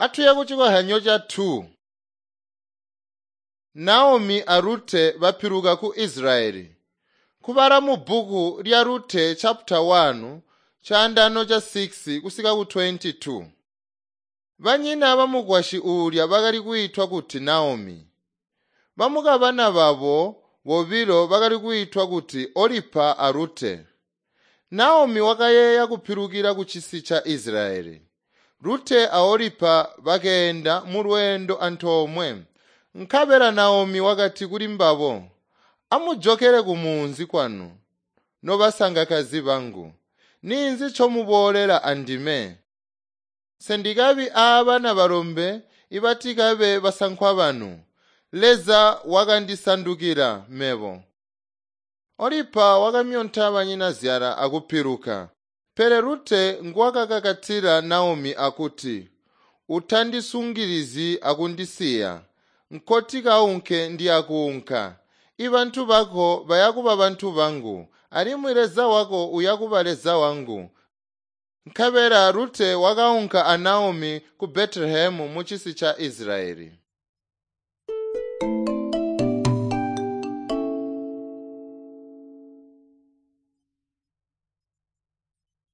Atuye kucikozyanyo ca 2. Naomi a Rute bapiluka ku Israeli. Kubala mu bbuku lya Rute chapter 1 chaandano cha 6 kusika ku 22. Banyina bamukwasyi uulya bakali kwiitwa kuti Naomi. Bamukabana babo bobilo bakali kwiitwa kuti Olipa a Rute. Naomi wakayeeya kupilukila ku cisi ca Israeli. Rute a Olipa bakeenda mulweendo antoomwe. Nkabela Naomi wakati kuli mbabo, “Amujokele kumunzi kwanu, nobasangakazi bangu. Ninzi ncomuboolela andime? Sendikabi aabana balombe ibatikabe basankwa banu. Leza wakandisandukila mebo.” Olipa wakamyonta banyinazyala akupiluka. Pele Rute nguwakakakatila Naomi akuti, “Utandisungilizyi akundisiya. Nkoti kaunke ndiyakuunka. Ibantu bako bayakuba bantu bangu, alimwi Leza wako uyakuba Leza wangu.” Nkabela Rute wakaunka a Naomi ku Betelehemu mucisi ca Israeli.